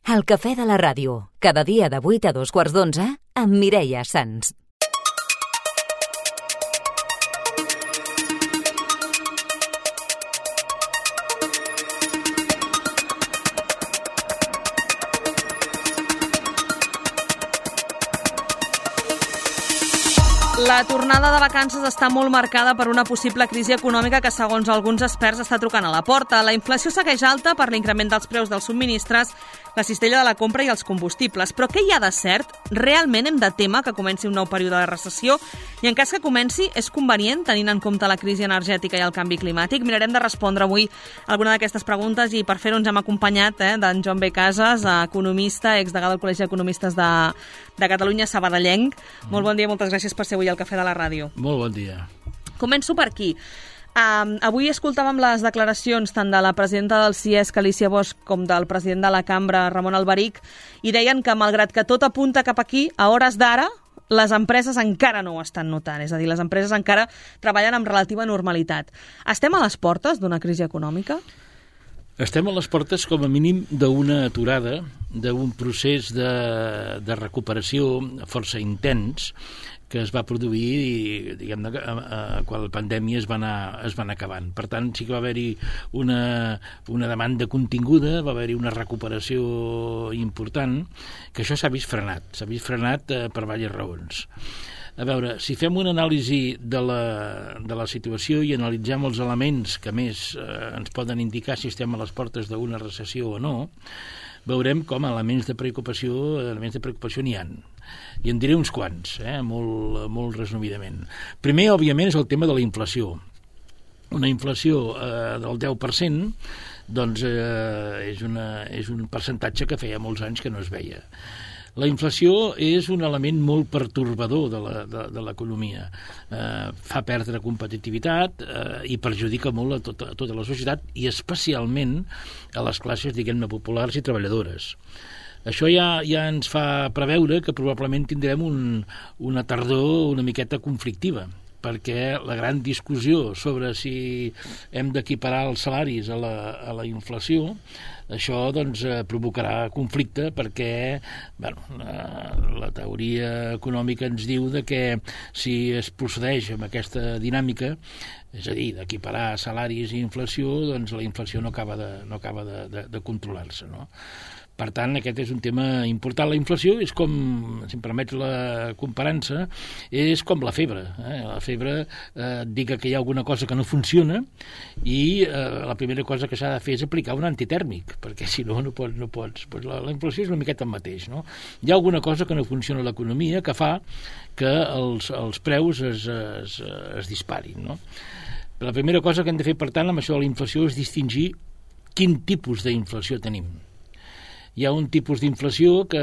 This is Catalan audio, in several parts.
El cafè de la ràdio, cada dia de 8 a 2:15 amb Mireia Sans. La tornada de vacances està molt marcada per una possible crisi econòmica que, segons alguns experts, està trucant a la porta. La inflació segueix alta per l'increment dels preus dels subministres, la cistella de la compra i els combustibles. Però què hi ha de cert? Realment hem de temer que comenci un nou període de recessió? I en cas que comenci, és convenient, tenint en compte la crisi energètica i el canvi climàtic? Mirarem de respondre avui alguna d'aquestes preguntes i per fer-ho ens hem acompanyat d'en Joan B. Casas, economista, exdegà del Col·legi d'Economistes de Catalunya, sabadellenc. Molt bon dia, moltes gràcies per ser avui al Cafè de la Ràdio. Molt bon dia. Començo per aquí. Avui escoltàvem les declaracions tant de la presidenta del CIESC, Alícia Bosch, com del president de la Cambra, Ramon Alberic, i deien que, malgrat que tot apunta cap aquí, a hores d'ara, les empreses encara no ho estan notant. És a dir, les empreses encara treballen amb relativa normalitat. Estem a les portes d'una crisi econòmica? Estem a les portes, com a mínim, d'una aturada, d'un procés de recuperació força intens que es va produir, diguem-ne, quan la pandèmia es va anar acabant. Per tant, sí que va haver-hi una demanda continguda, va haver-hi una recuperació important, que això s'ha vist frenat. S'ha vist frenat per diverses raons. A veure, si fem una anàlisi de la situació i analitzem els elements que més ens poden indicar si estem a les portes d'una recessió o no, veurem com elements de preocupació n'hi ha. I en diré uns quants, molt resumidament. Primer, òbviament, és el tema de la inflació. Una inflació del 10%, doncs, és un percentatge que feia molts anys que no es veia. La inflació és un element molt pertorbador de l'economia. Fa perdre competitivitat i perjudica molt a tota la societat i especialment a les classes, diguem-ne, populars i treballadores. Això ja ens fa preveure que probablement tindrem una tardor una miqueta conflictiva, perquè la gran discussió sobre si hem d'equiparar els salaris a la inflació, això doncs provocarà conflicte perquè la teoria econòmica ens diu que si es procedeix amb aquesta dinàmica, és a dir, d'equiparar salaris i inflació, doncs la inflació no acaba de controlar-se, no? Per tant, aquest és un tema important. La inflació és com, si em permets la comparança, és com la febre. La febre diga que hi ha alguna cosa que no funciona i la primera cosa que s'ha de fer és aplicar un antitèrmic, perquè si no pots. Pues la inflació és una miqueta el mateix, no? Hi ha alguna cosa que no funciona a l'economia que fa que els preus es disparin, no? La primera cosa que hem de fer, per tant, amb això de la inflació és distingir quin tipus d'inflació tenim. Hi ha un tipus d'inflació que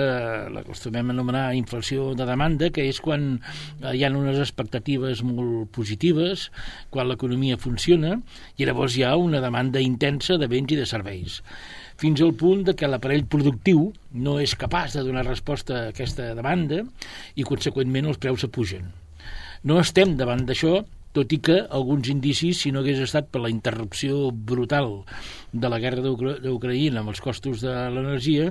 l'acostumem a anomenar inflació de demanda, que és quan hi ha unes expectatives molt positives, quan l'economia funciona, i llavors hi ha una demanda intensa de béns i de serveis, fins al punt que l'aparell productiu no és capaç de donar resposta a aquesta demanda i, conseqüentment, els preus s'apugen. No estem davant d'això, tot i que alguns indicis, si no hagués estat per la interrupció brutal de la guerra d'Ucraïna amb els costos de l'energia,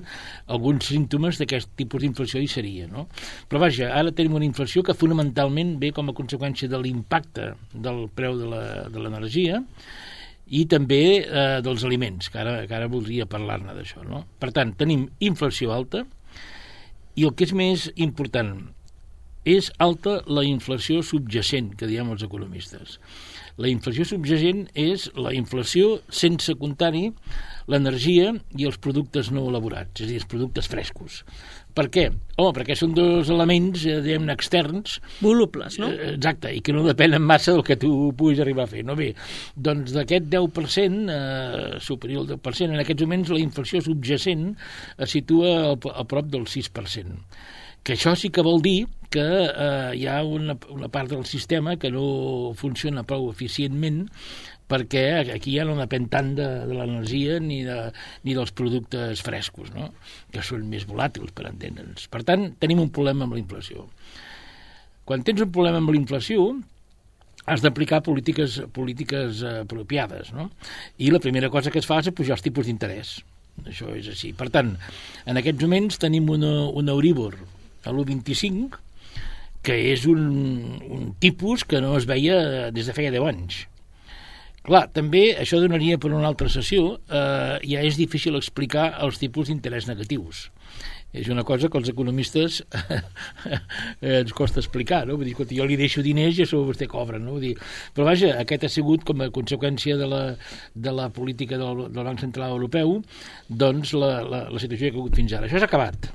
alguns símptomes d'aquest tipus d'inflació hi seria, no? Però vaja, ara tenim una inflació que fonamentalment ve com a conseqüència de l'impacte del preu de l'energia i també dels aliments, que ara voldria parlar-ne d'això, no? Per tant, tenim inflació alta i el que és més important, és alta la inflació subjacent, que diem els economistes. La inflació subjacent és la inflació sense comptar-hi l'energia i els productes no elaborats, és a dir, els productes frescos. Per què? Home, perquè són dos elements, diguem-ne, externs. Volubles, no? Exacte, i que no depenen massa del que tu puguis arribar a fer. No? Bé, doncs d'aquest 10%, superior al 10%, en aquests moments la inflació subjacent es situa a prop del 6%. Que això sí que vol dir que hi ha una part del sistema que no funciona prou eficientment perquè aquí ja no depèn tant de l'energia ni dels productes frescos, no? Que són més volàtils, per entendre'ns. Per tant, tenim un problema amb la inflació. Quan tens un problema amb la inflació, has d'aplicar polítiques apropiades, no? I la primera cosa que es fa és apujar els tipus d'interès. Això és així. Per tant, en aquests moments tenim un Euribor a l'1,25, que és un tipus que no es veia des de feia 10 anys. Clar, també això donaria per una altra sessió, ja és difícil explicar els tipus d'interès negatius. És una cosa que els economistes ens costa explicar, no? Vull dir, escolta, jo li deixo diners i això vostè cobra, no? Vull dir, però vaja, aquest ha sigut com a conseqüència de la política del Banc Central Europeu, doncs la situació que ha hagut fins ara. Això s'ha acabat,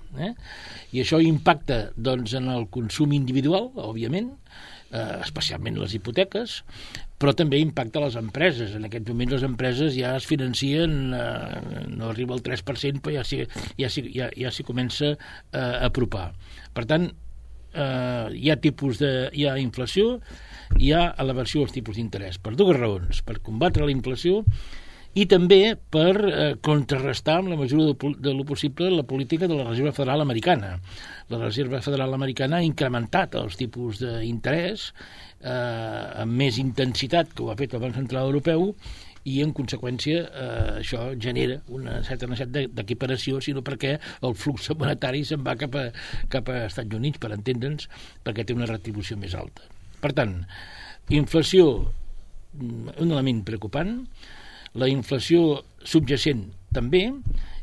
i això impacta doncs, en el consum individual, òbviament, especialment les hipoteques, però també impacta les empreses. En aquests moments les empreses ja es financien, no arriba al 3%, però ja s'hi comença a apropar. Per tant, hi ha inflació, hi ha elevació dels tipus d'interès, per dues raons: per combatre la inflació i també per contrarrestar, en la mesura de lo possible, la política de la Reserva Federal Americana. La Reserva Federal Americana ha incrementat els tipus d'interès amb més intensitat que ho ha fet el Banc Central Europeu, i en conseqüència això genera una certa necessitat d'equiparació, sinó perquè el flux monetari se'n va cap a Estats Units, per entendre'ns, perquè té una retribució més alta. Per tant, inflació, un element preocupant, la inflació subjacent també,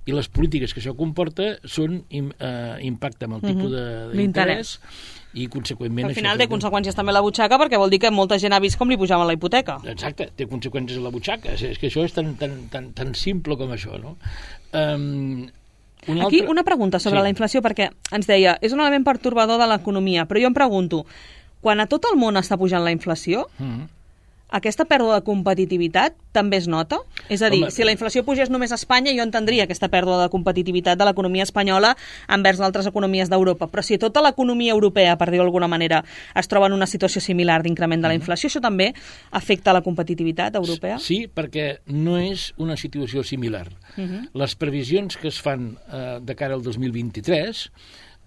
i les polítiques que això comporta impacten amb el tipus d'interès i, conseqüentment... Al final té conseqüències també a la butxaca, perquè vol dir que molta gent ha vist com li pujaven la hipoteca. Exacte, té conseqüències a la butxaca. És que això és tan simple com això, no? Aquí una pregunta sobre la inflació, perquè ens deia, és un element pertorbador de l'economia, però jo em pregunto, quan a tot el món està pujant la inflació, aquesta pèrdua de competitivitat també es nota? És a dir, si la inflació pugés només a Espanya, jo entendria aquesta pèrdua de competitivitat de l'economia espanyola envers altres economies d'Europa, però si tota l'economia europea, per dir-ho d'alguna manera, es troba en una situació similar d'increment de la inflació, això també afecta la competitivitat europea? Sí, perquè no és una situació similar. Les previsions que es fan de cara al 2023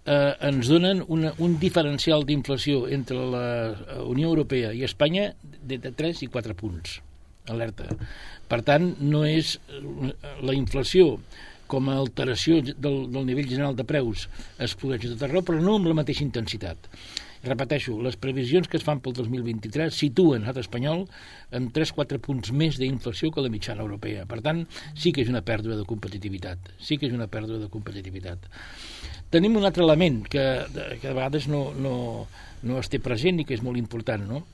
ens donen un diferencial d'inflació entre la Unió Europea i Espanya de 3 i 4 punts. Alerta. Per tant, no és la inflació com a alteració del nivell general de preus es produeix a tot arreu, però no amb la mateixa intensitat. Repeteixo, les previsions que es fan pel 2023 situen l'estat espanyol amb 3-4 punts més d'inflació que la mitjana europea. Per tant, sí que és una pèrdua de competitivitat. Tenim un altre element que de vegades no es té present i que és molt important, no?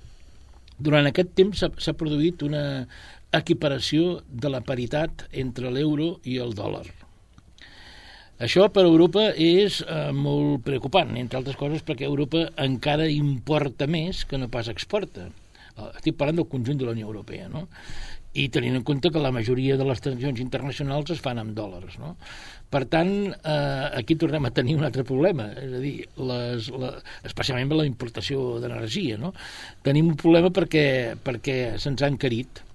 Durant aquest temps s'ha produït una equiparació de la paritat entre l'euro i el dòlar. Això per Europa és molt preocupant, entre altres coses perquè Europa encara importa més que no pas exporta. Estic parlant del conjunt de la Unió Europea, no? I tenint en compte que la majoria de les transaccions internacionals es fan amb dòlars, no? Per tant, aquí tornem a tenir un altre problema, és a dir, especialment amb la importació d'energia, no? Tenim un problema perquè se'ns ha encarit.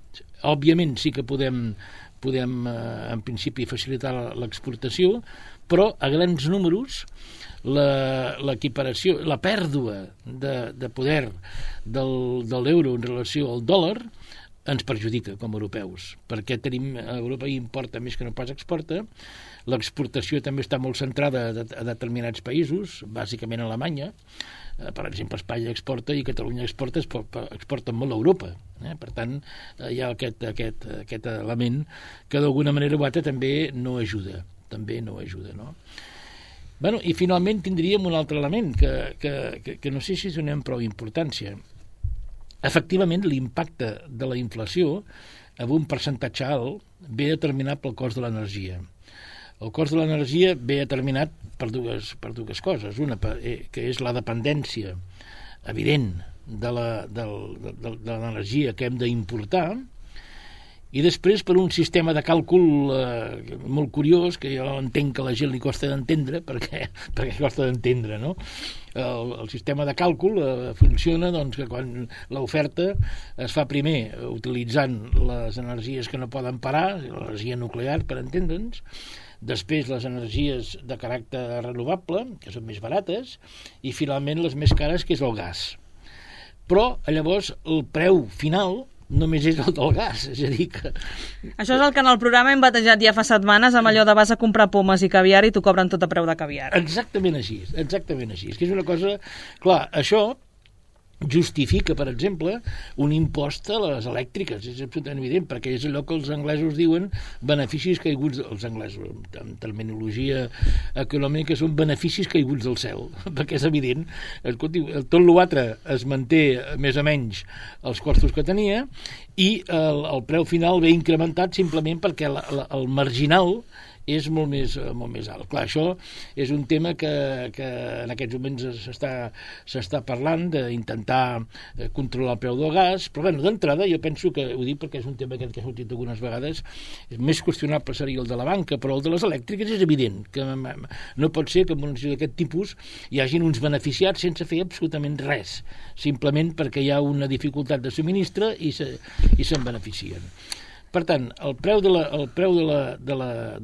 Òbviament sí que podem en principi facilitar l'exportació, però a grans números l'equiparació, la pèrdua de poder de l'euro en relació al dòlar ens perjudica com a europeus, perquè Europa importa més que no pas exporta, l'exportació també està molt centrada a determinats països, bàsicament a Alemanya, per exemple, Espanya exporta i Catalunya exporta molt a Europa. Per tant, hi ha aquest element que d'alguna manera o altra també no ajuda, no? Bueno, i finalment tindríem un altre element que no sé si donem prou importància. Efectivament, l'impacte de la inflació amb un percentatge alt ve determinat pel cost de l'energia. El cost de l'energia ve determinat per dues coses. Una, que és la dependència evident de l'energia que hem d'importar, i després per un sistema de càlcul molt curiós, que jo entenc que a la gent li costa d'entendre, perquè costa d'entendre, no? El sistema de càlcul funciona doncs, que quan l'oferta es fa primer utilitzant les energies que no poden parar, l'energia nuclear, per entendre'ns, després les energies de caràcter renovable, que són més barates, i finalment les més cares, que és el gas. Però llavors el preu final només és el del gas, és a dir que... Això és el que en el programa hem batejat ja fa setmanes amb allò de vas a comprar pomes i caviar i t'ho cobren tot a preu de caviar. Exactament així, que és una cosa... Clar, això justifica, per exemple, un impost a les elèctriques, és absolutament evident, perquè és allò que els anglesos diuen beneficis caiguts, els anglesos, en terminologia econòmica, són beneficis caiguts del cel, perquè és evident, escolti, tot l'altre es manté més o menys els costos que tenia i el preu final ve incrementat simplement perquè el marginal és molt més alt. Clar, això és un tema que en aquests moments s'està parlant d'intentar controlar el preu del gas, però bueno, d'entrada jo penso que, ho dic perquè és un tema que ha sortit algunes vegades, més qüestionable seria el de la banca, però el de les elèctriques és evident, que no pot ser que en una situació d'aquest tipus hi hagin uns beneficiats sense fer absolutament res, simplement perquè hi ha una dificultat de subministre i se'n beneficien. Per tant, el preu de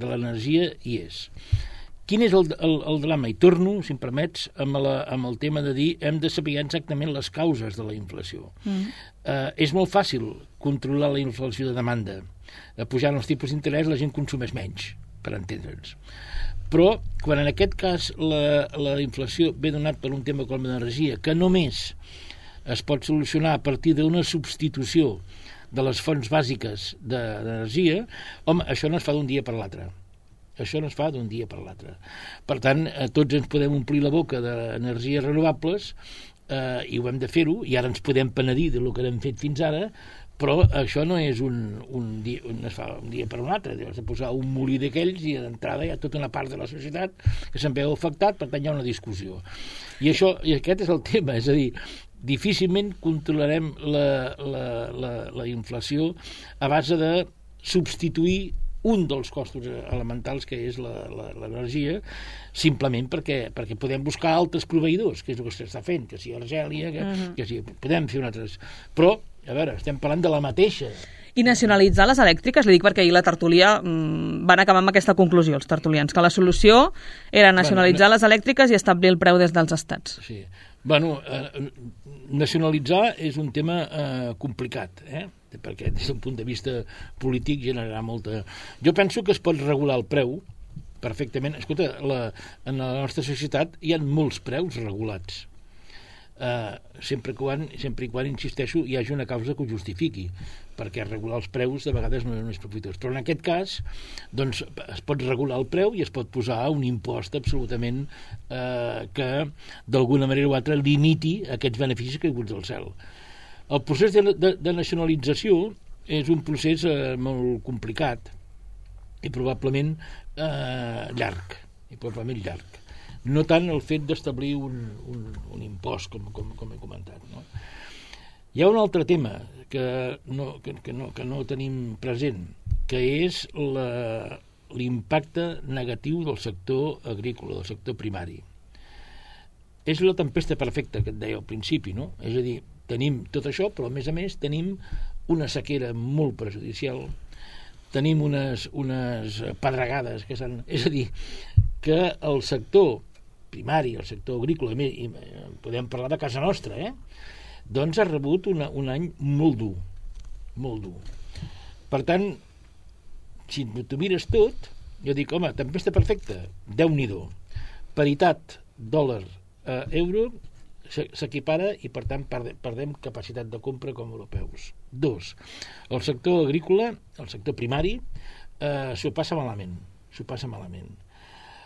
l'energia hi és. Quin és el drama? I torno, si em permets, amb el tema de dir hem de saber exactament les causes de la inflació. És molt fàcil controlar la inflació de demanda. Pujant els tipus d'interès la gent consumeix menys, per entendre'ns. Però, quan en aquest cas la inflació ve donat per un tema com l'energia, que només es pot solucionar a partir d'una substitució de les fonts bàsiques d'energia, home, això no es fa d'un dia per l'altre. Això no es fa d'un dia per l'altre. Per tant, tots ens podem omplir la boca d'energies renovables i ho hem de fer-ho, i ara ens podem penedir del que hem fet fins ara, però això no és un dia per un altre. Has de posar un molí d'aquells i d'entrada hi ha tota una part de la societat que se'n veu afectat, per tant hi ha una discussió. I aquest és el tema, és a dir, difícilment controlarem la inflació a base de substituir un dels costos elementals que és l'energia, simplement perquè podem buscar altres proveïdors, que és el que s'està fent, que sigui Argèlia, que sigui, podem fer altres. Però, a veure, estem parlant de la mateixa. I nacionalitzar les elèctriques, li dic perquè ahir la tertúlia van acabar amb aquesta conclusió, els tertulians, que la solució era nacionalitzar les elèctriques i establir el preu des dels estats. Sí. Bueno, nacionalitzar és un tema complicat, perquè des d'un punt de vista polític generarà molta... Jo penso que es pot regular el preu perfectament. Escolta, en la nostra societat hi ha molts preus regulats. Sempre i quan, insisteixo, hi hagi una causa que ho justifiqui, perquè regular els preus de vegades no és profitós. Però en aquest cas, doncs, es pot regular el preu i es pot posar un impost absolutament que d'alguna manera o altra limiti aquests beneficis caiguts del cel. El procés de nacionalització és un procés molt complicat i probablement llarg. No tant el fet d'establir un impost, com he comentat. No? Hi ha un altre tema que no tenim present, que és l'impacte negatiu del sector agrícola, del sector primari. És la tempesta perfecta que et deia al principi, no? És a dir, tenim tot això, però a més tenim una sequera molt perjudicial, tenim unes pedregades que s'han... És a dir, que el sector primari, el sector agrícola, i podem parlar de casa nostra, doncs ha rebut un any molt dur. Per tant, si t'ho mires tot, jo dic, home, tempesta perfecta, Déu-n'hi-do. Paritat dòlar-euro s'equipara i, per tant, perdem capacitat de compra com europeus. 2. El sector agrícola, el sector primari, s'ho passa malament.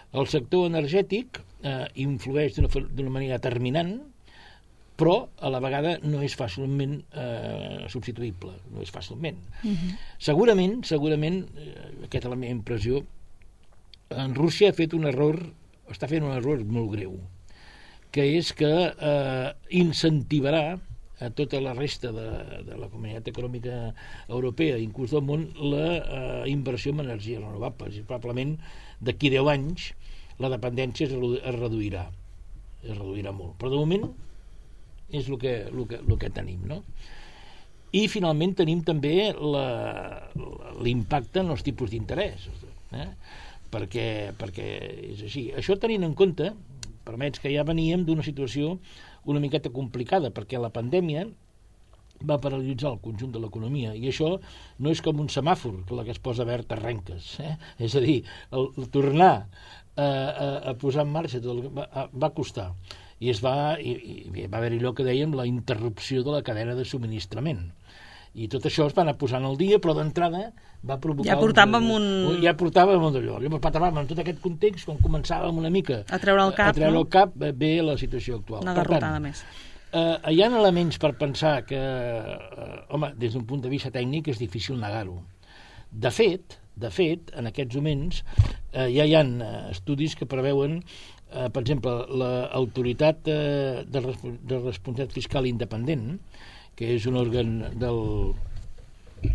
El sector energètic influeix d'una manera determinant, però a la vegada no és fàcilment substituïble, no és fàcilment. Segurament, aquesta és la meva impressió, en Rússia està fent un error molt greu, que és que incentivarà a tota la resta de la comunitat econòmica europea, inclús del món, la inversió en energies renovables. I probablement d'aquí 10 anys la dependència es reduirà molt. Però de moment és el que tenim, no? I finalment tenim també l'impacte en els tipus d'interès, perquè és així. Això tenint en compte, permets que ja veníem d'una situació una miqueta complicada, perquè la pandèmia va paralitzar el conjunt de l'economia, i això no és com un semàfor, que la que es posa verd arrenques, és a dir, el tornar a posar en marxa va costar, i va haver-hi allò que dèiem la interrupció de la cadena de subministrament, i tot això es va anar posant al dia, però d'entrada va provocar... Ja portàvem d'allò. Llavors, en tot aquest context, quan començàvem una mica a treure el cap, ve la situació actual. Una garrotada més. Hi ha elements per pensar que, des d'un punt de vista tècnic és difícil negar-ho. De fet, en aquests moments ja hi ha estudis que preveuen, per exemple, l'autoritat de responsabilitat fiscal independent, que és un òrgan del...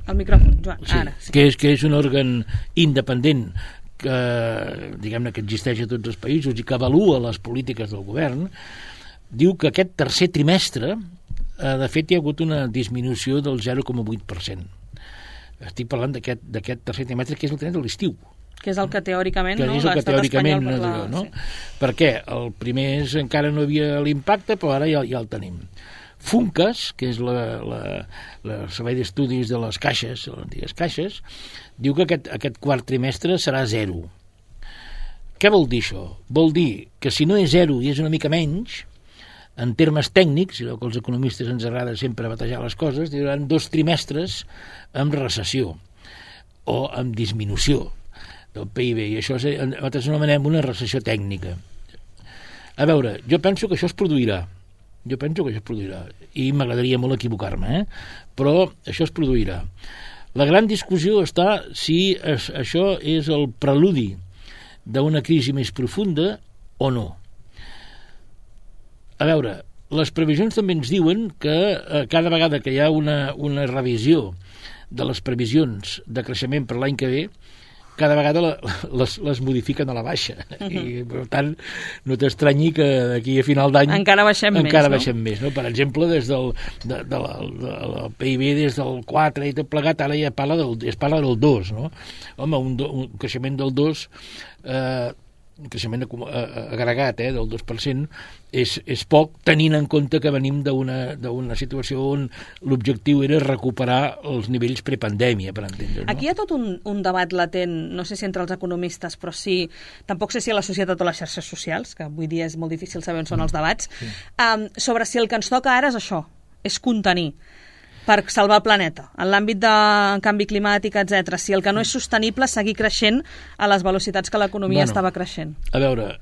El micròfon, Joan, sí, ara. Sí. Que és un òrgan independent que, diguem-ne, que existeix a tots els països i que avalua les polítiques del govern, diu que aquest tercer trimestre, de fet, hi ha hagut una disminució del 0,8%. Estic parlant d'aquest tercer trimestre, que és el trimestre de l'estiu. Que és el que teòricament, que és el que teòricament no? Sí. Per què? El primer encara no havia l'impacte, però ara ja el tenim. Funcas, que és el servei d'estudis de les caixes, les antigues caixes, diu que aquest quart trimestre serà 0. Què vol dir això? Vol dir que si no és 0 i és una mica menys, en termes tècnics, i que els economistes ens agrada sempre batejar les coses, hi haurà 2 trimestres amb recessió o amb disminució del PIB, i això nosaltres anomenem una recessió tècnica. A veure, jo penso que això es produirà, i m'agradaria molt equivocar-me, però això es produirà. La gran discussió està si això és el preludi d'una crisi més profunda o no. A veure, les previsions també ens diuen que cada vegada que hi ha una revisió de les previsions de creixement per l'any que ve, cada vegada les modifiquen a la baixa. I, per tant, no t'estranyi que d'aquí a final d'any encara baixem més. No? Per exemple, des del PIB, des del 4 i tot plegat, ara ja es parla del 2. No? Home, un creixement del 2... un creixement agregat del 2% és poc, tenint en compte que venim d'una situació on l'objectiu era recuperar els nivells prepandèmia, per entendre. Aquí hi ha tot un debat latent, no sé si entre els economistes, però sí, tampoc sé si a la societat o a les xarxes socials, que avui dia és molt difícil saber on són els debats, sobre si el que ens toca ara és això, és contenir per salvar el planeta, en l'àmbit de canvi climàtic, etc. Si el que no és sostenible seguir creixent a les velocitats que l'economia estava creixent. A veure,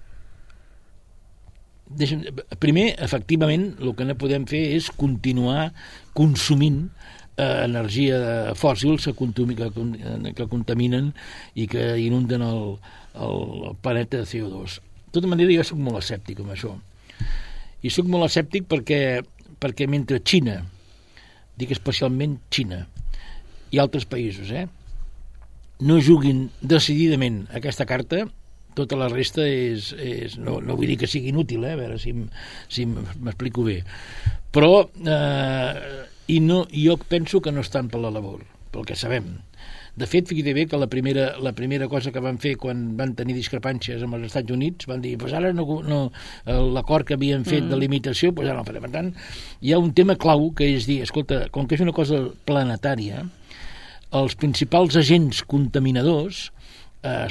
primer, efectivament, el que no podem fer és continuar consumint energia fòssils que contaminen i que inunden el planeta de CO2. De tota manera, jo soc molt escèptic amb això. I soc molt escèptic perquè mentre Xina, dic especialment Xina i altres països, no juguin decididament aquesta carta, tota la resta no vull dir que sigui inútil, a veure si m'explico bé, però jo penso que no estan per la labor, pel que sabem. De fet, fixa't bé que la primera cosa que van fer quan van tenir discrepàncies amb els Estats Units, van dir, pues ara l'acord que havien fet de limitació, pues ara no farem. Per tant, hi ha un tema clau que és dir, escolta, com que és una cosa planetària, els principals agents contaminadors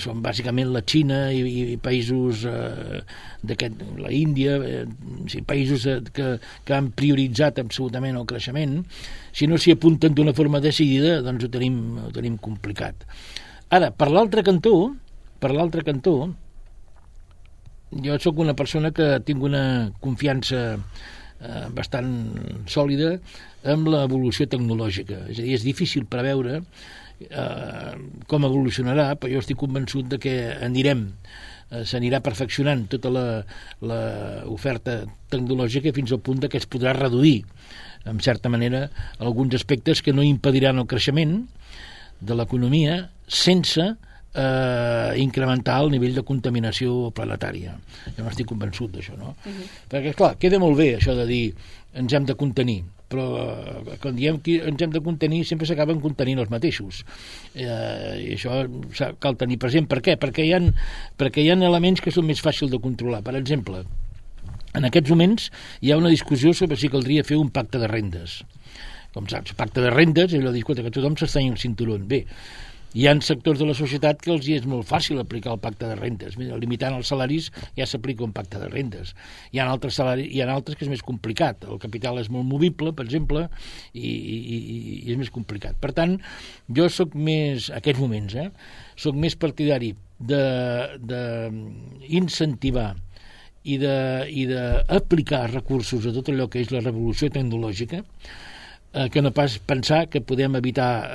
són bàsicament la Xina i països la Índia, països que han prioritzat absolutament el creixement. Si no s'hi apunten d'una forma decidida, doncs ho tenim complicat. Ara, per l'altre cantó, jo sóc una persona que tinc una confiança bastant sòlida amb l'evolució tecnològica. És a dir, és difícil preveure com evolucionarà, però jo estic convençut de que s'anirà perfeccionant tota l'oferta tecnològica fins al punt que es podrà reduir, en certa manera, alguns aspectes que no impediran el creixement de l'economia sense incrementar el nivell de contaminació planetària. Jo no estic convençut d'això, no? Perquè, clar, queda molt bé això de dir ens hem de contenir, però quan diem que ens hem de contenir sempre s'acaben contenint els mateixos, i això cal tenir present. Per què? Perquè hi ha elements que són més fàcils de controlar. Per exemple, en aquests moments hi ha una discussió sobre si caldria fer un pacte de rendes. com saps, pacte de rendes, i allò diu, escolta, que tothom s'estany el cinturó. Bé, hi ha sectors de la societat que els hi és molt fàcil aplicar el pacte de rendes. Limitant els salaris ja s'aplica un pacte de rendes. Hi ha altres que és més complicat. El capital és molt movible, per exemple, i és més complicat. Per tant, jo sóc més, a aquests moments, sóc més partidari d'incentivar i d'aplicar recursos a tot allò que és la revolució tecnològica, que no pas pensar que podem evitar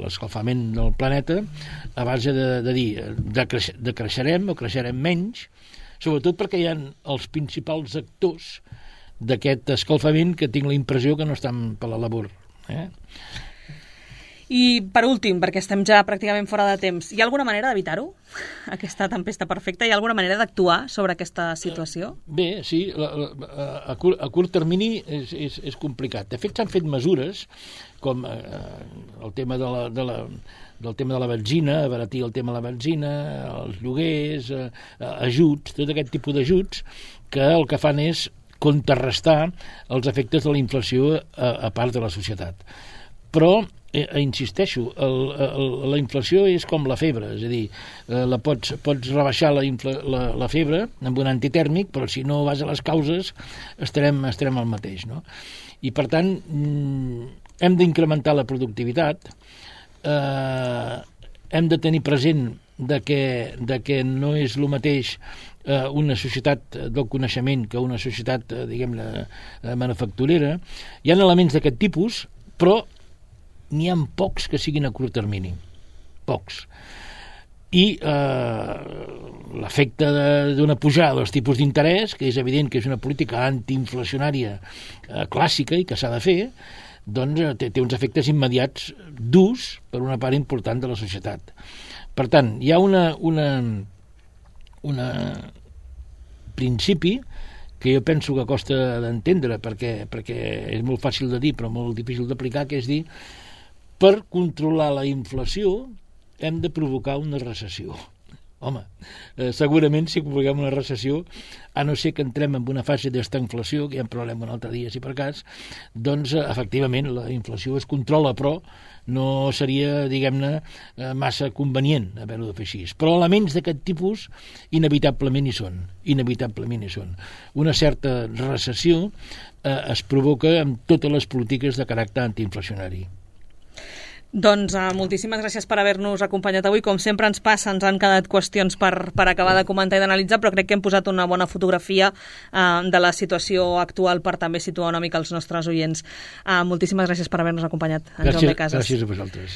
l'escalfament del planeta a base de dir decreixerem o creixerem menys, sobretot perquè hi ha els principals actors d'aquest escalfament que tinc la impressió que no estan per la labor. I per últim, perquè estem ja pràcticament fora de temps, hi ha alguna manera d'evitar-ho? Aquesta tempesta perfecta? Hi ha alguna manera d'actuar sobre aquesta situació? Bé, sí, a curt termini és complicat. De fet, s'han fet mesures com el tema del tema de la benzina, abaratir el tema de la benzina, els lloguers, ajuts, tot aquest tipus d'ajuts que el que fan és contrarrestar els efectes de la inflació a part de la societat. Però insisteixo, la inflació és com la febre, és a dir, pots rebaixar la febre amb un antitèrmic, però si no vas a les causes estarem al mateix, no? I per tant hem d'incrementar la productivitat, hem de tenir present de que no és el mateix una societat del coneixement que una societat, diguem-ne, manufacturera. Hi ha elements d'aquest tipus, però n'hi ha pocs que siguin a curt termini. Pocs. I l'efecte d'una pujada dels tipus d'interès, que és evident que és una política antiinflacionària clàssica i que s'ha de fer, doncs té uns efectes immediats durs per una part important de la societat. Per tant, hi ha un principi que jo penso que costa d'entendre perquè és molt fàcil de dir però molt difícil d'aplicar, que és dir, per controlar la inflació hem de provocar una recessió. Home, segurament si provoquem una recessió, a no ser que entrem en una fase d'estanflació, que ja en parlarem un altre dia si per cas, doncs efectivament la inflació es controla, però no seria, diguem-ne, massa convenient haver-ho de fer així. Però elements d'aquest tipus inevitablement hi són. Una certa recessió es provoca amb totes les polítiques de caràcter antiinflacionari. Doncs moltíssimes gràcies per haver-nos acompanyat avui. Com sempre ens passa, ens han quedat qüestions per acabar de comentar i d'analitzar, però crec que hem posat una bona fotografia de la situació actual per també situar una mica els nostres oients. Moltíssimes gràcies per haver-nos acompanyat, en Jaume Casas. Gràcies a vosaltres.